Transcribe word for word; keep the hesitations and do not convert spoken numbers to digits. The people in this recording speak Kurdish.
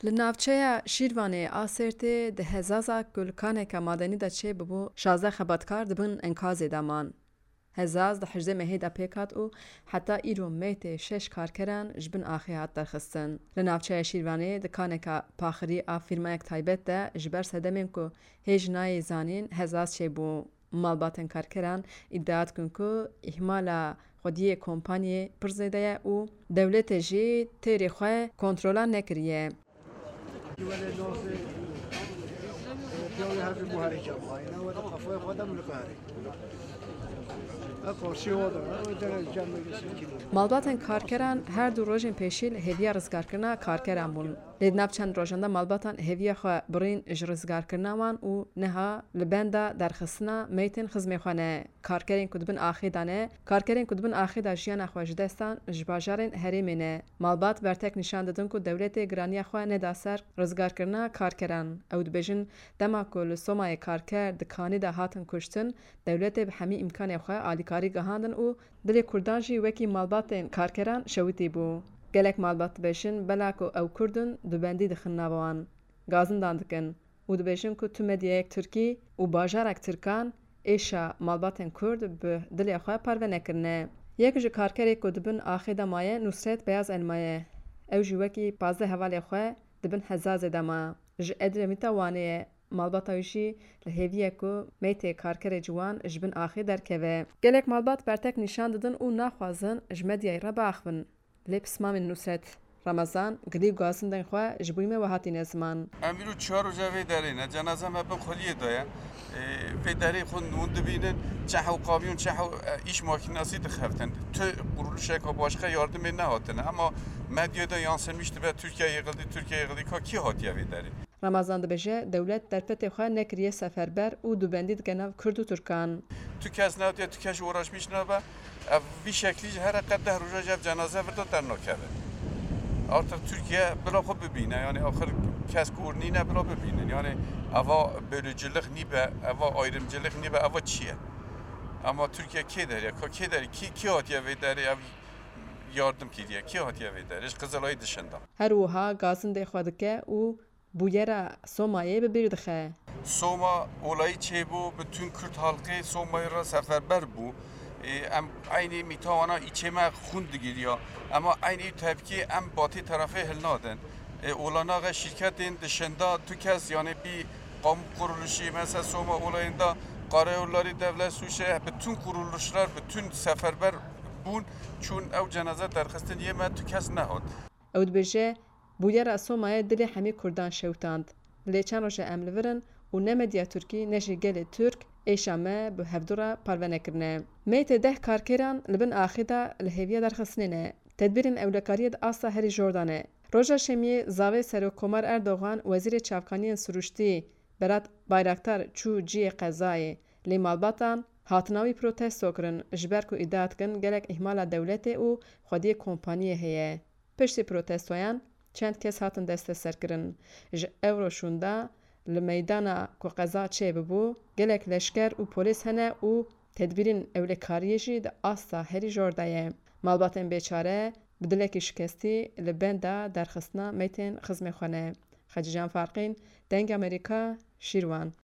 Li navçeya Şîrvanê a Sêrtê di hezaza ku li kaneka madenî de çêbûbû, şazdeh xebatkar di bin enkazê de man. Hezaz di hejdê mehê de pêk hat û heta îro meytê şeş karkeran ji bin axê hat derxistin. Li navçeya Şîrvanê di kaneka paxirî a fîrmayek taybet de ji ber sedemên ku hêj nayê zanîn hezaz çêbû. Malbatên karkeran îdia dikin ku îhmala xwediyê kompaniyê pir zêde ye û dewletê jî têrê xwe kontrola nekiriye. Malbatên karkeran her du rojên pêşî li hêviya rizgarkirina karkeran bûn. Lê di nav çend rojan de malbatan hêviya xwe birîn ji rizgarkirina wan û niha li benda derxistina meytên xizmê xwe ne. Karkerên ku di bin axê de ne, karkerên ku di bin axê de jiyana xwe ji dest dan, ji bajarên herêmê ne. Malbat bertek nîşan didin ku dewletê giraniya xwe neda ser rizgarkirina karkeran. Ew dibêjin, dema ku li Somayê karker di kanî de hatin kuştin, dewletê bi hemî îmkanê xwe alîkarî gihandin û dilê kurdan jî wekî malbatên karkeran şewitî bû. Gelek malbat dibêjin, bela ku ew kurd in, dubendî dixin nava wan, gazindan dikin û dibêjin ku tu medyayek tirkî û bajarek tirkan êşa malbatên kurd bi dilê xwe parve nekirine. Yek ji karkerê ku di bin axê de maye Nusret Beyaz Elma ye. Ew jî wekî pazdeh hevalê xwe di bin hezazê de ma. Ji Edremîta Wanê ye. Malbata wî jî li hêvî ye ku meytê karkerê ciwan ji bin axê derkeve. Gelek malbat bertek nîşan didin û naxwazin ji medyayê re biaxivin. Lê pismamên Nusret Ramazan, gilî û gazindên xwe ji bo me we hatîne ziman. Em îro çar roja vê derê ne, cenaza me bin xweliyê de ye. Ê, vê derê xwe hûn dibînin, çi hew kamyon, çi hew, e, îş makînasî dixeftin. Tu quruluşeka başka yardimê nehatine. Ama medyada yansımış dibe, Türkiye yıkıldı, Türkiye yıkıldı. Ka kî hatiye vê derê? Ramazan dibêje, dewlet derfetê xwe nekiriye seferber û dubendî dike nav Kurd û Tirkan. Tu kes newtiye, tu kes uğraşmış nabe. Ev vî şeklî ji here qet deh roja ji ev cenaze vir de dernakeve. Artık Türkiye bila xwe bibîne, yani axir kes ku nîne bila bibînin. Yani eva bölücülük nîbe, eva ayrımcılık nîbe, eva çi ye? Ama Türkiye kê derê, ka kê derê, kî, kî hatiye vê derê ev yardım kiriye, kî hatiye vê derê? Ji Qızılayê dışında. Her wiha gazindê xwe dike û bûyera Somayê bi bîr dixe. Soma olayî çêbû, bütün Kürt halkı Somayê re seferber bû. Ê, em eynî mîta wana îçê me xûn digiriya. Ema eynî tepkî em batî terefê hilnadin. Ê, olanaxe şîrketên dışında tu kes, yani bir kamu kuruluşu, mesela Soma olayında Karayolları Devlet Suçu, bütün kuruluşlar, bütün seferber bûn, çûn ew cenaze derxistin yê me, tu kes nehat. Ew dibêje, bûyera Somayê dilê hemî Kurdan şewitand. Lê çend roj e em li vir in û ne medya Tirkî ne jî gelê Tirk êşa me bi hevdu re parve nekirine. Meytê deh karkeran li bin axê de li hêviya derxistinê ne. Tedbîrên ewlekariyê di asta herî jor de ne. Roja Şemiyê zavê Serokkomar Erdogan, Wezîrê Çavkaniyên Sirûştî Berat Bayraktar çû cihê qezayê. Lê malbatan hatina wî protesto kirin, ji ber ku îdia dikin gelek îhmala dewletê û xwediyê kompaniyê heye. Piştî protestoyan çend kes hatin desteserkirin. Ji ewro şûnda li meydana ku qeza çêbibû, gelek leşker û polîs hene û tedbîrên ewlekariyê jî di asta herî jor de ye. Malbatên bêçare bi dilekî şikestî li benda derxistina meytên xizmê xwe ne. Xecîcan Farqîn, Dengê Amerîka, Şîrwan.